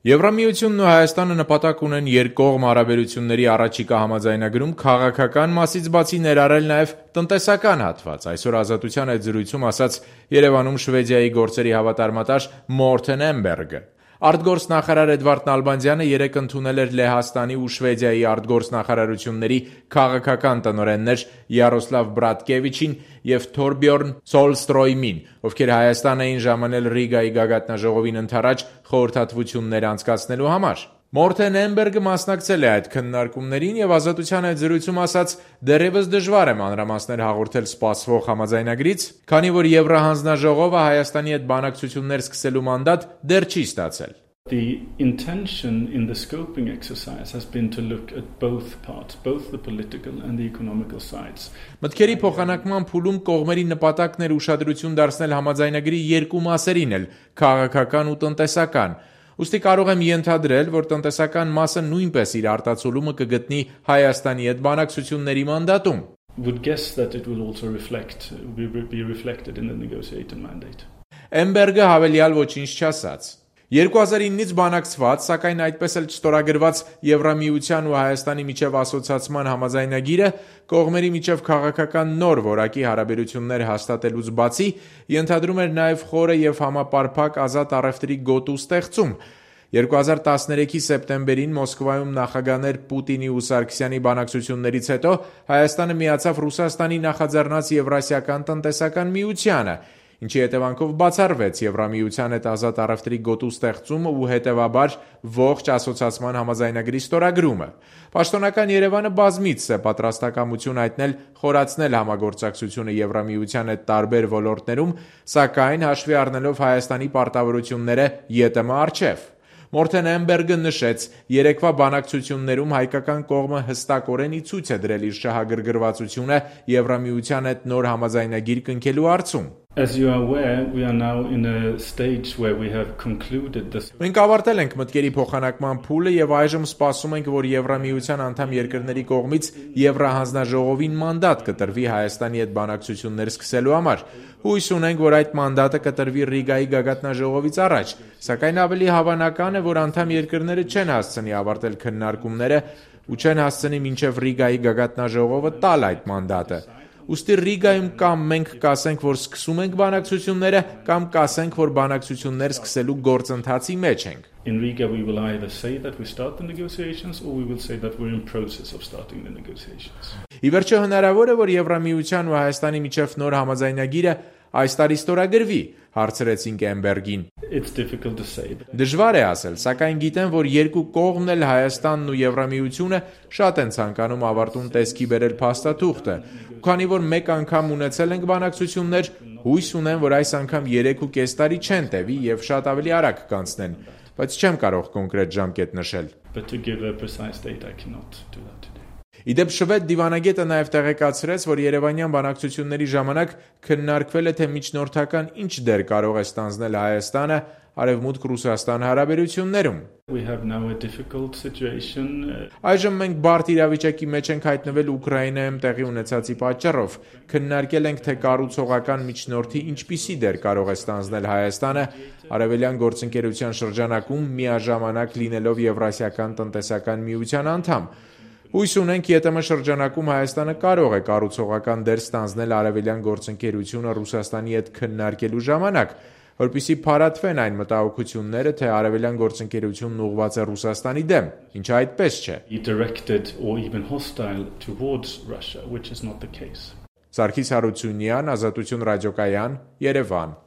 Եվրամիությունն ու Հայաստանը նպատակ ունեն երկկողմ հարաբերությունների առաջիկա համաձայնագրում քաղաքական մասից բացի ներառել նաև տնտեսական հատված, այսօր Ազատության հետ զրույցում ասաց Երևանում Շվեդիայի գործերի հավատարմատար Մորթեն Էմբերգը։ Արտգործնախարար Էդվարդ Նալբանդյանը երեկ ընդունել էր Լեհաստանի ու Շվեդիայի արտգործնախարարությունների քաղաքական տնօրեններ Յարոսլավ Բրատկևիչին և Թորբյորն Ցոլստրոյմին, ովքեր Հայաստան էին ժամանել Ռիգայի գագաթնաժողովին ընդառաջ խորհրդատվություններ անցկացնելու համար։ Մորթեն Էմբերգը մասնակցել է այդ քննարկումներին և Ազատության հետ զրույցում ասաց. «Դեռևս դժվար է մանրամասներ հաղորդել սպասվող համաձայնագրից, քանի որ Եվրահանձնաժողովը Հայաստանի հետ բանակցություններ սկսելու մանդատ դեռ չի ստացել»։ The intention in the scoping exercise has been to look at both parts, both the political and the economical sides. Մտքերի փոխանակման փուլում կողմերի նպատակն էր ուշադրություն դարձնել համաձայնագրի երկու մասերին էլ՝ քաղաքական ու տնտեսական։ Ուստի կարող եմ ենթադրել, որ տնտեսական մասը նույնպես իր արտացոլումը կգտնի Հայաստանի հետ բանակցությունների մանդատում։ Would guess that it will also be reflected in the negotiated mandate. Էմբերգը հավելյալ ոչինչ չասաց։ 2009-ից բանակցված, սակայն այդպես էլ չստորագրված Եվրամիության ու Հայաստանի միջև ասոցացման համաձայնագիրը կողմերի միջև քաղաքական նոր որակի հարաբերություններ հաստատելուց բացի ենթադրում էր նաև խորը և համապարփակ ազատ առևտրի գոտու ստեղծում։ 2013-ի սեպտեմբերին Մոսկվայում նախագահներ Պուտինի ու Սարգսյանի բանակցություններից հետո Հայաստանը միացավ Ռուսաստանի նախաձեռնած Եվրասիական տնտեսական միությանը, ինչի հետևանքով բացառվեց Եվրամիության հետ ազատ առևտրի գոտու ստեղծումը ու հետևաբար ողջ ասոցացման համաձայնագրի ստորագրումը։ Պաշտոնական Երևանը բազմիցս է պատրաստակամություն հայտնել խորացնել համագործակցությունը Եվրամիության հետ տարբեր ոլորտներում, սակայն հաշվի առնելով Հայաստանի պարտավորությունները ԵՏՄ առջև։ Մորթեն Էմբերգը նշեց. երեկվա բանակցություններում հայկական կողմը հստակորեն ի ցույց է դրել իր շահագրգռվածությունը Եվրամիության հետ նոր համաձայնագիր կնքելու հարցում։ As you are aware, we are now in a stage where we have concluded this. Մենք ավարտել ենք մտքերի փոխանակման փուլը եւ այժմ սպասում ենք, որ Եվրամիության անդամ երկրների կողմից Եվրահանձնաժողովին մանդատ կտրվի Հայաստանի հետ բանակցություններ սկսելու համար։ Հույս ունենք, որ այդ մանդատը կտրվի Ռիգայի գագաթնաժողովից առաջ, սակայն ավելի հավանական է, որ անդամ երկրները չեն հասցնի ավարտել քննարկումները ու չեն հասցնի մինչև Ռիգայի գագաթնաժողովը տալ այդ մանդատը։ Ուստի Ռիգայում կամ մենք կասենք, որ սկսում ենք բանակցությունները, կամ կասենք, որ բանակցություններ սկսելու գործընթացի մեջ ենք։ In Riga we will either say that we start the negotiations or we will say that we're in process of starting the negotiations. Ի վերջո հնարավոր է, որ Եվրամիության ու Հայաստանի միջև նոր համաձայնագիրը այս տարի ստորագրվի, հարցրեցինք Էմբերգին։ It's difficult to say. Դժվար է ասել, սակայն գիտեմ, որ երկու կողմն էլ Հայաստանն ու Եվրամիությունը շատ են ցանկանում ավարտուն տեսքի բերել փաստաթուղթը։ Քանի որ մեկ անգամ ունեցել ենք բանակցություններ, հույս ունեմ, որ այս անգամ 3.5 տարի չեն տևի եւ շատ ավելի արագ կանցնեն, բայց չեմ կարող կոնկրետ ժամկետ նշել։ But to give a precise date I cannot do that today. Իդեպ շվեդ դիվանագետը նաև տեղեկացրեց, որ Երևանյան բանակցությունների ժամանակ քննարկվել է, թե միջնորդական ինչ դեր կարող է ստանձնել Հայաստանը Արևմուտք-Ռուսաստան հարաբերություններում։ We have now a difficult situation. Այժմ մենք բարդ իրավիճակի մեջ ենք հայտնվել Ուկրաինայում տեղի ունեցածի պատճառով։ Քննարկել ենք, թե կառուցողական միջնորդի ինչպիսի դեր կարող է ստանձնել Հայաստանը Արևելյան գործընկերության շրջանակում միաժամանակ լինելով Եվրասիական տնտեսական միության անդամ։ Հույս ունենք ԵՏՄ շրջանակում Հայաստանը կարող է կառուցողական դեր ստանձնել Արևելյան գործընկերությունը Ռուսաստանի հետ քննարկելու ժամանակ, որպեսզի փարատվեն այն մտահոգությունները, թե Արևելյան գործընկերությունն ուղղված է Ռուսաստանի դեմ, ինչը այդպես չէ։ Directed or even hostile towards Russia, which is not the case. Սարգիս Հարությունյան, Ազատություն ռադիոկայան, Երևան։